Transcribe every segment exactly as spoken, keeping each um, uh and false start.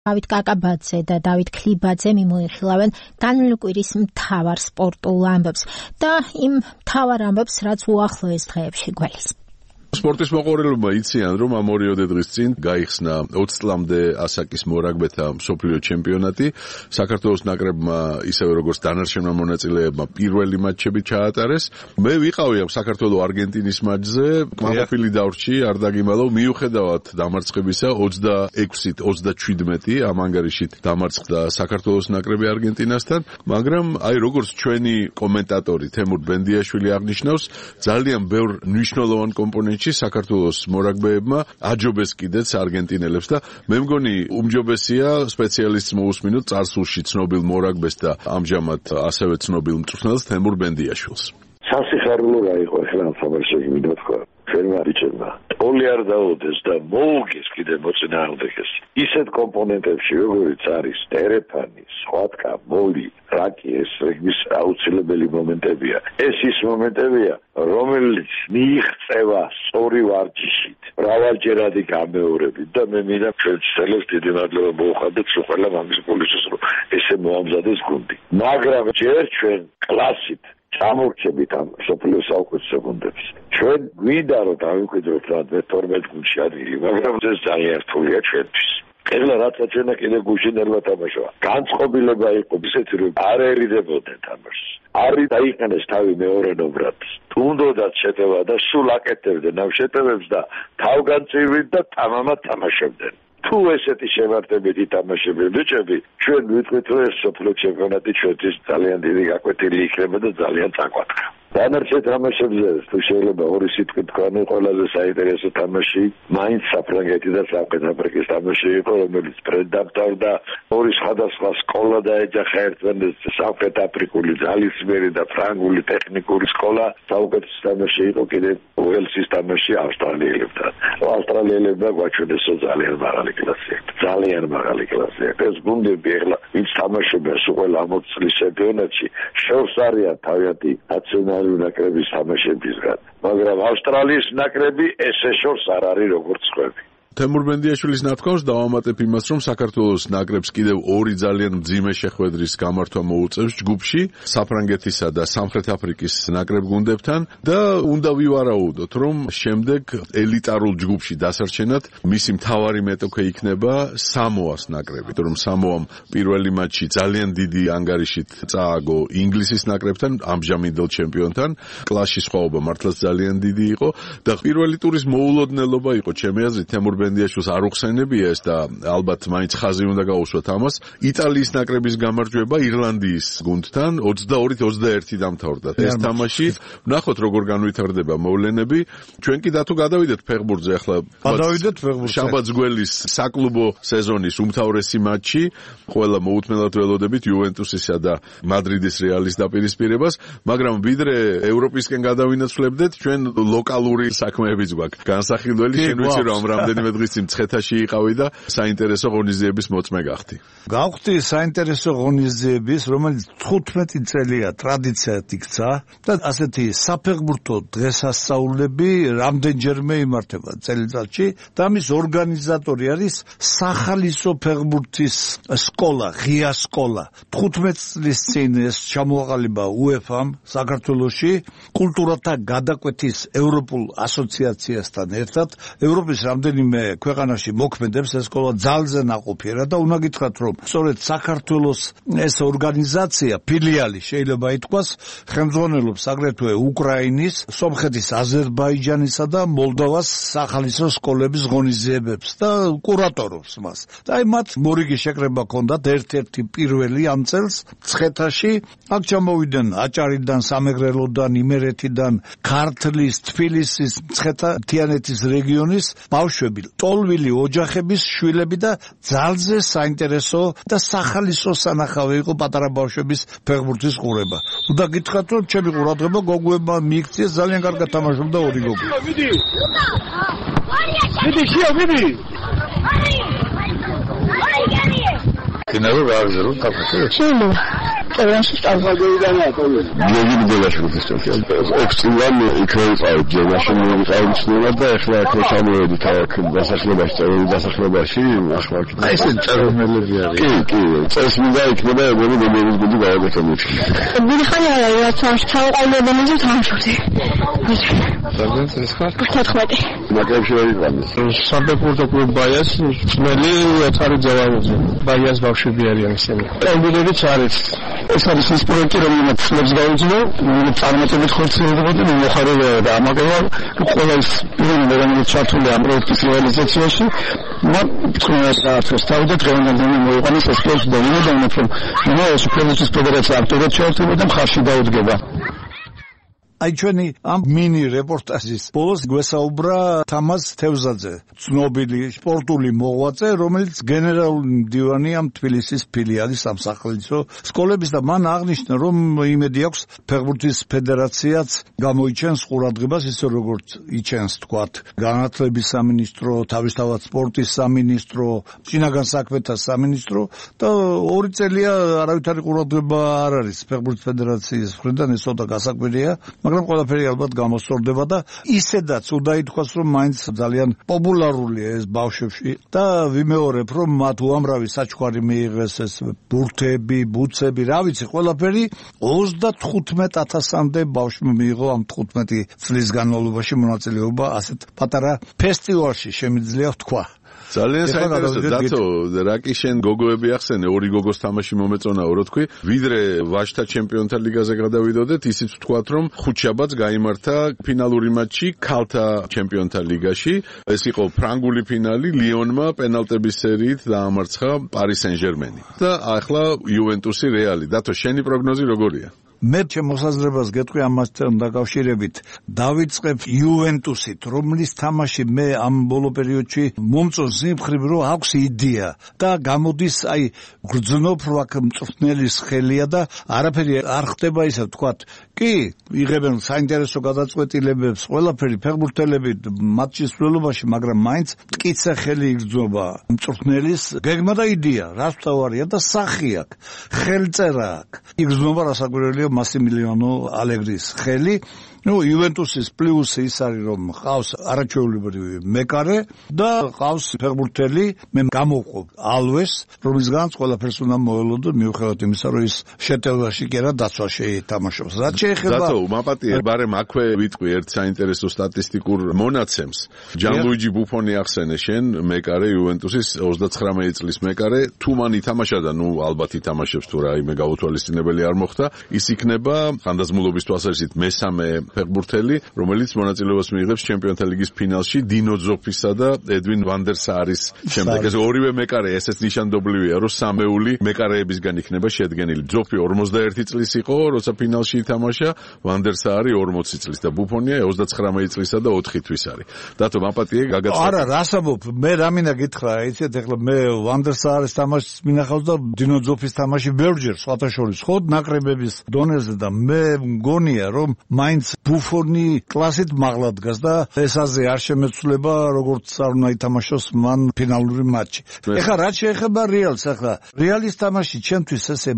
დავით კაკაბაძე და დავით ქლიბაძე მიმოიხილავენ განვლილი კვირის მთავარ სპორტულ ამბებს და იმ მთავარ ამბებს, რაც უახლოეს დღეებში გველის. სპორტის მოყვარელებმა იციან, რომ ამ ორიოდე დღის წინ გაიხსნა ოცი წლამდე ასაკის მორაგბეთა მსოფლიო ჩემპიონატი. საქართველოს ნაკრებმა, ისევე როგორც დანარჩენმა მონაწილეებმა, პირველი მატჩები ჩაატარეს. მე ვიყავი ამ საქართველო-არგენტინის მატჩზე, კმაყოფილი დავრჩი, არ დაგიმალავ, მიუხედავად დამარცხებისა ოცდაექვსით ოცდაჩვიდმეტი ამ ანგარიშით დამარცხდა საქართველოს ნაკრები არგენტინასთან, მაგრამ აი როგორც ჩვენი კომენტატორი თემურ ბენდიაშვილი აღნიშნავს, ძალიან ბევრ მნიშვნელოვან კომპონენტში საქართველოს მორაგბეებმა აჯობეს კიდეც არგენტინელებს და მე მგონი უმჯობესია სპეციალისტს მოусმინოთ წარსულში ცნობილ მორაგბეს და ამჟამად ასევე ცნობილ მწვრთნელს თემურ ბენდიაშვილს. სასიხარულო რაიყო ახლა ამ სამარშევში მინდა თქვა. ჩვენმა ბიჭებმა ტოლი არ დაუდეს და მოუგეს კიდე მოწინააღმდეგეს. ისეთ კომპონენტებში როგორიც არის ტერეფანი, სხვათკა, მოლი, რაკი, ეს რეგბის აუცილებელი მომენტებია. ეს ის მომენტებია, რომელიც მიიღწევა სწორი ვარჯიშით, მრავალჯერადი გამეორებით და მე მინდა ჩვენ ცელებს დიდი მადლობა მოუხადეთ ყველა მაგის პოლიციის რომ ესე მოამზადეს გუნდი. მაგრამ ჯერ ჩვენ კლასით ჩამორჩებით ამ სოფლიო საუკეთესო გუნდებს. ჩვენ გვინდა რომ დავიმკვიდროთ რა თორმეტ გუნდში ადგილი, მაგრამ ეს ძალიან რთულია ჩვენთვის. ეხლა რაც აჩვენა კიდე გუშინელმა თამაშობა. განწყობილება იყო ისეთი რომ არ ერიდებოდნენ თამაშს. არ დაიყენეს თავი მეორე ნომრად. თუნდაც შეტევა და სულ აკეთებდნენ ამ შეტევებს და თავგანწირვით და თამამად თამაშობდნენ. თუ ესეთი შემართებით ითამაშებენ ბიჭები, ჩვენ ვიტყვით რომ ეს სოფლიო ჩემპიონატი ჩვენთვის ძალიან დიდი გაკვეთილი იქნება და ძალიან წაკვათხა. დანარჩენ თამაშებზე თუ შეიძლება ორი სიტყვით თქვენი ყველაზე საინტერესო თამაში მაინც საფრანგეთი და სამხრეთ აფრიკის თამაში იყო, რომელიც პრედაკტორდა ორი სხვადასხვა სკოლა დაეჯახა ერთმანეთს, სამხრეთ აფრიკული ძალისმიერი და ფრანგული ტექნიკური სკოლა. საუკეთესო თამაში იყო კიდე უელსის თამაში ავსტრალიელებთან. ავსტრალიელებმა გვაჩვენეს ძალიან მაღალი კლასი. ძალიან მაღალი კლასი. ეს გუნდები ახლა ვინც თამაშობენ სულ ყველა ამ ოცი წლის ჩემპიონატში, შორს არიან თავიანთი ნაციონალური ნაკრების თამაშებისგან, მაგრამ ავსტრალიის ნაკრები ესე შორს არ არის როგორც სხვები. თემურ ბენდიაშვილის ნათქვამს დავამატებ იმას, რომ საქართველოს ნაკრებს კიდევ ორი ძალიან მძიმე შეხვედრის გამართვა მოუწევს ჯგუფში, საფრანგეთისა და სამხრეთ აფრიკის ნაკრებ გუნდებთან და უნდა ვივარაუდოთ, რომ შემდეგ ელიტარულ ჯგუფში დასარჩენად მისი მთავარი მეტოქე იქნება სამოას ნაკრები, რომ სამოამ პირველი მატჩი ძალიან დიდი ანგარიშით წააგო ინგლისის ნაკრებთან, ამჟამინდელ ჩემპიონთან, კლასში სხვაობა მართლაც ძალიან დიდი იყო და პირველი ტურის მოულოდნელობა იყო ჩემი აზრით თემურ ბენდიაშვილს არ უხსენებია ეს და ალბათ მაინც ხაზი უნდა გაუსვათ ამას. იტალიის ნაკრების გამარჯვება ირლანდიის გუნდთან ოცდაორით ოცდაერთი დამთავრდა. ეს თამაში ვნახოთ როგორ განვითარდება მოვლენები. ჩვენ კი დათო გადავიდეთ ფეხბურთზე ახლა. გადავიდეთ ფეხბურთზე. შაბათს გველის საკლუბო სეზონის უმთავრესი მატჩი. ყველა მოუთმენლად ველოდებით იუვენტუსისა და მადრიდის რეალის დაპირისპირებას, მაგრამ ვიდრე ევროპისკენ გადავინაცვლებდეთ, ჩვენ ლოკალური საქმეებიც გვაქვს. განსახილველი შენ ვიცი რომ რამდენიმე დღის წინ მცხეთაში იყავი და საინტერესო ღონისძიების მოწმე გახდი. გავხდი საინტერესო ღონისძიების, რომელიც თხუთმეტი წელია ტრადიციად იქცა და ასეთი საფეხბურთო დღესასწაულები რამდენჯერმე იმართება წელიწადში და მის ორგანიზატორი არის სახალისო ფეხბურთის სკოლა, ღია სკოლა. თხუთმეტ წლის წინ ეს ჩამოაყალიბა უეფამ საქართველოში კულტურათა გადაკვეთის ევროპულ ასოციაციასთან ერთად. ევროპის რამდენიმე ქვეყანაში მოქმედებს ეს სკოლა ძალზე ნაყოფიერად და უნდა გითხრათ რომ სწორედ საქართველოს ეს ორგანიზაცია ფილიალი შეიძლება ითქვას ხელმძღვანელობს აგრეთვე უკრაინის, სომხეთის, აზერბაიჯანისა და მოლდოვას სახალისო სკოლების ღონისძიებებს და კურატორობს მას. და აი მათ მორიგი შეკრება ჰქონდათ ერთ-ერთი პირველი ამ წელს მცხეთაში. აქ ჩამოვიდნენ აჭარიდან, სამეგრელოდან, იმერეთიდან, ქართლის, თბილისის, მცხეთა-თიანეთის რეგიონის ბავშვები, ტოლვილი ოჯახების შვილები და ძალზე საინტერესო და სახალისო სანახავი იყო პატარა ბავშვების ფეხბურთის ყურება. უნდა გითხრათ რომ ჩემი ყურადღება გოგოებმა მიიქციეს, ძალიან კარგად თამაშობდა ორი გოგო. მიდი. მიდი, შიო, მიდი. კინო გააგზავნოთ თამაში. შეიძლება. ყველაში სტაბილურია თორე გიგი მიდელაშვილის ჩემპიონატი ოქწილან იქნებოდა ჯერმაში მოვიყავდა და ახლა აქ ჩამოვედით აქ დასახლებაში წერილი დასახლებაში ახლა აი ეს წერომელები არის კი კი წეს მინდა იქნება ეგრევე გოგოების გუნდი გავაკეთებთ მიხარი არა რაც თავყოლებენზე თამაშობდი სადაც ეს ხარ თოთხმეტი ნაკრებში ვერ იყავით საბეპორტო კლუბ ბაიას ძმელი ეთარი ძავაუძე ბაიას ბავშვები არიან ისინი ელბილერიც არის ეს არის ის პროექტი რომელიც ფლებს გაუძლო რომელიც წარმატებით ხორციელდება და მოხარებაა და ამაგება ყველა ის პიროვნება რომელიც ჩართულია ამ პროექტის რეალიზაციაში მათ თქვენს საერთოს თავი და დღევანდელ მოიყვანეს ეს ფლებს და იმედი რომ ეს ფლების ფედერაცია აქტიურად ჩართულდება და მხარში დაუდგება აი ჩვენი ამ მინი რეპორტაჟის ბოლოს გვესაუბრა თამაზ თევზაძე, ცნობილი სპორტული მოღვაწე, რომელიც გენერალური მდივანია თბილისის ფილიალის სამსახელისო სკოლების და მან აღნიშნა, რომ იმედი აქვს ფეხბურთის ფედერაციაც გამოიჩენს ყურადღებას ისე როგორც იჩენს თქვათ განათლების სამინისტრო, თავისთავად სპორტის სამინისტრო, შინაგან საქმეთა სამინისტრო და ორი წელია არავითარი ყურადღება არ არის ფეხბურთის ფედერაციის მხრიდან ეს ცოტა გასაკვირია მაგრამ ყველაფერი ალბათ გამოსწორდება და ისედაც უნდა ითქვას რომ მაინც ძალიან პოპულარულია ეს ბავშვებში და ვიმეორებ რომ მათ უამრავი საჩუქარი მიიღეს ეს ბურთები, ბუცები, რა ვიცი, ყველაფერი ოცდათხუთმეტ ათასამდე ბავშვმა მიიღო ამ თხუთმეტი წლის განმავლობაში მონაწილეობა ასეთ პატარა ფესტივალში შემიძლია ვთქვა ძალიან საინტერესო დათო რა კი შენ გოგოები ახსენე ორი გოგოს თამაში მომეწონაო რო თქვი ვიდრე ვაჟთა ჩემპიონთა ლიგაზე გადავიდოდეთ ისიც ვთქვათ რომ ხუთშაბათს გაიმართა ფინალური მატჩი ქალთა ჩემპიონთა ლიგაში ეს იყო ფრანგული ფინალი ლიონმა პენალტების სერიით დაამარცხა პარი სენ-ჟერმენი და ახლა იუვენტუსი რეალი დათო შენი პროგნოზი როგორია მე ჩემ მოსაზრებას გეტყვი ამასთან დაკავშირებით დავიწყებ იუვენტუსით რომლის თამაში მე ამ ბოლო პერიოდში მომწონს იმხრივ რომ აქვს იდეა და გამოდის აი გრძნობ რო აქ მწვრთნელის ხელია და არაფერი არ ხდება ისე ვთქვათ კი იღებენ საინტერესო გადაწყვეტილებებს ყველაფერი ფეხბურთელები მატჩის მსვლელობაში მაგრამ მაინც მტკიცე ხელი იგრძნობა მწვრთნელის გეგმა და იდეა რაც თავარია და სახი აქვს ხელწერა აქვს იგრძნობა რასაკვირველია მასიმილიანო ალეგრის ხელი ну იუვენტუსის პლუსი ის არის რომ ყავს არაჩვეულებრივი მეკარე და ყავს ფეხბურთელი მე გამოვყო ალვეს რომლისგანაც ყველაფერს უნდა მოელოდო მიუხედავად იმისა რომ ის შეტევაში კი არა დაცვა შეითამაშოს რაც შეეხება დათო მაპატიე ბარემ აქვე ვიტყვი ერთ საინტერესო სტატისტიკურ მონაცემს ჯანლუიჯი ბუფონი ახსენე შენ მეკარე იუვენტუსის ოცდაცხრამეტი წლის მეკარე თუ მან ითამაშა და ნუ ალბათ ითამაშებს თუ რაიმე გაუთვალისწინებელი არ მოხდა ის იქნება ხანდაზმულობის თვალსაზრისით მესამე ფეხბურთელი, რომელიც მონაწილეობას მიიღებს ჩემპიონთა ლიგის ფინალში დინო ძოფისა და ედვინ ვანდერ საარის შემდეგ. ეს ორივე მეკარე ესეც ნიშანდობლივია, რომ სამეული მეკარეებისგან იქნება შედგენილი. ძოფი ორმოცდაერთი წლის იყო, როცა ფინალში ითამაშა, ვანდერ საარი ორმოცი წლის და ბუფონია ოცდაცხრამეტი წლისა და ოთხი თვის არის. დათო მაპატიე გაგაცხადა. არა, რასაბობ, მე რა მინდა გითხრა, იცით ახლა მე ვანდერ საარის თამაშს მინახავს და დინო ძოფის თამაში ბევრჯერ სხვათა შორის ხოდ ნაკრებების დონეზე და მე მგონია რომ მაინც ბუფონი კლასით მაღლა დგას და ესაზე არ შემეცვლება როგორც არ უნდა ითამაშოს მან ფინალური მატჩი. ეხლა რაც შეეხება რეალს, ახლა რეალის თამაში ჩემთვის ესე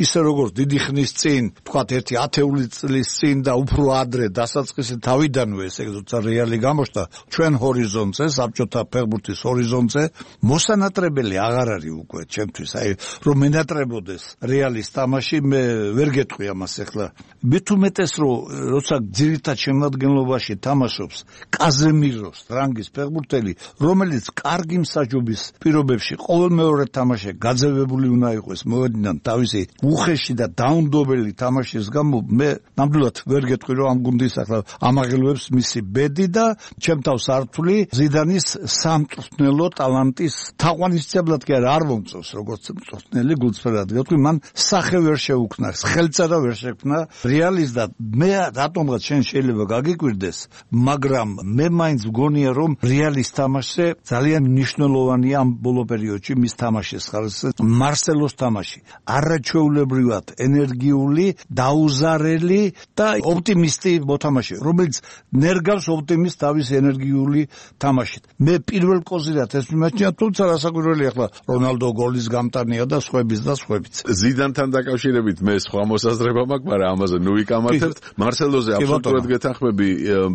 ისე როგორც დიდი ხნის წინ, თქვათ ერთი ათეული წლის წინ და უფრო ადრე დასაწყისი თავიდანვე ესე როცა რეალი გამოჩნდა ჩვენ ჰორიზონტზე, საბჭოთა ფეხბურთის ჰორიზონტზე, მოსანატრებელი აღარ არის უკვე ჩემთვის. აი რომ მენატრებოდეს რეალის თამაში მე ვერ გეტყვი ამას ახლა. მე თუ მეტეს რომ როცა ძირითად შემადგენლობაში თამაშობს კაზემიროს რანგის ფეხბურთელი, რომელიც კარგი მსაჯობის პირობებში ყოველ მეორე თამაში გაძევებული უნდა იყოს მოედნიდან თავისი უხეში და დაუნდობელი თამაშის გამო მე ნამდვილად ვერ გეტყვი რომ ამ გუნდის ახლა ამაღელვებს მისი ბედი და ჩემ თავს ართული ზიდანის სამწვრთნელო ტალანტის თაყვანისმცემლად კი არ მომწონს როგორც მწვრთნელი გულწრფელად გეტყვი მან სახე ვერ შეუქმნა ხელწერა ვერ შექმნა რეალის და მე რატომ ალბათ შენ შეიძლება გაგიკვირდეს, მაგრამ მე მაინც მგონია რომ რეალის თამაშზე ძალიან მნიშვნელოვანია ამ ბოლო პერიოდში მის თამაშის ხარისხი მარსელოს თამაში. არაჩვეულებრივად ენერგიული, დაუზარელი და ოპტიმისტი მოთამაშე, რომელიც ნერგავს ოპტიმისტ თავის ენერგიული თამაშით. მე პირველ კოზირად ეს მიმაჩნია, თუმცა რასაკვირველი ახლა რონალდო გოლის გამტანია და სხვების და სხვებიც. ზიდანთან დაკავშირებით მე სხვა მოსაზრება მაქვს, მაგრამ ამაზე ნუ ვიკამათებთ. მარსელოზე აბსოლუტურად გეთანხმები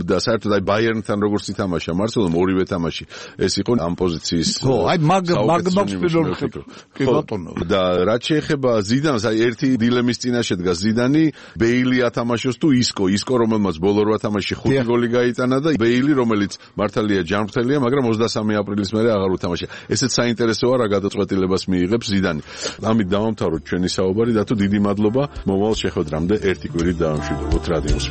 და საერთოდ აი ბაიერნთან როგორც ითამაშა მარსელომ ორივე თამაში ეს იყო ამ პოზიციის. ხო, აი მაგ მაგ მაქვს პირველ რიგში. კი ბატონო. და რაც შეეხება ზიდანს, აი ერთი დილემის წინაშე დგას ზიდანი, ბეილი ათამაშოს თუ ისკო, ისკო რომელმაც ბოლო რვა თამაშში ხუთი გოლი გაიტანა და ბეილი რომელიც მართალია ჯანმრთელია, მაგრამ ოცდამესამე აპრილის მერე აღარ უთამაშია. ესეც საინტერესოა რა გადაწყვეტილებას მიიღებს ზიდანი. ამით დავამთავროთ ჩვენი საუბარი და თუ დიდი მადლობა მომავალ შეხვედრამდე ერთი კვირით დავამშვიდობოთ რადიოს.